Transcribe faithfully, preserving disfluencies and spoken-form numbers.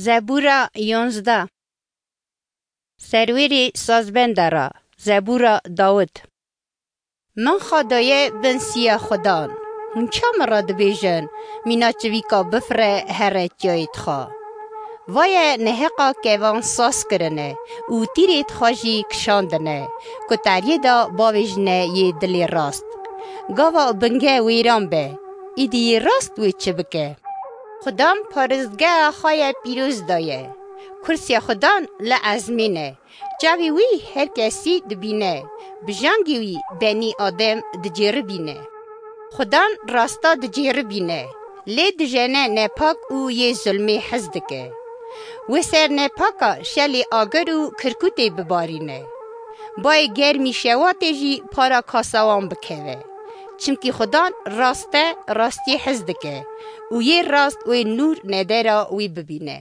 Zebûra yonzdeh. Serwêrê sazbenda ra, zebûra Dawid. Min xwe daye bin siya Xudan. Hûn çima min re dibêjin, mîna çivîka bifire here tiyayê tixwe? Vaye neheqa kevan saz kirine û tîrê tixwe jî kişandine, ku teriyê de bavêjine yê dilê rast. Gava binge wêran be, îdî yê rast wê çi bike? Xudan paristgeha xwe ye pîroz daye. Kursiya Xudan li ezmên e. Çavê wî her kesî dibîne. Bijangê wî benî Adem dicêribîne. Xudan rasta dicêribîne. Lê dijene nepak û yê zulmê hez dike. Wê ser nepaka şelê agir û kirkûtê bibarîne. Bayê germî şewatê jî para kasa wan bikeve. Çimkî Xudan rast e, rastiyê hez dike û yê rast wê nûr nedera wî bibîne.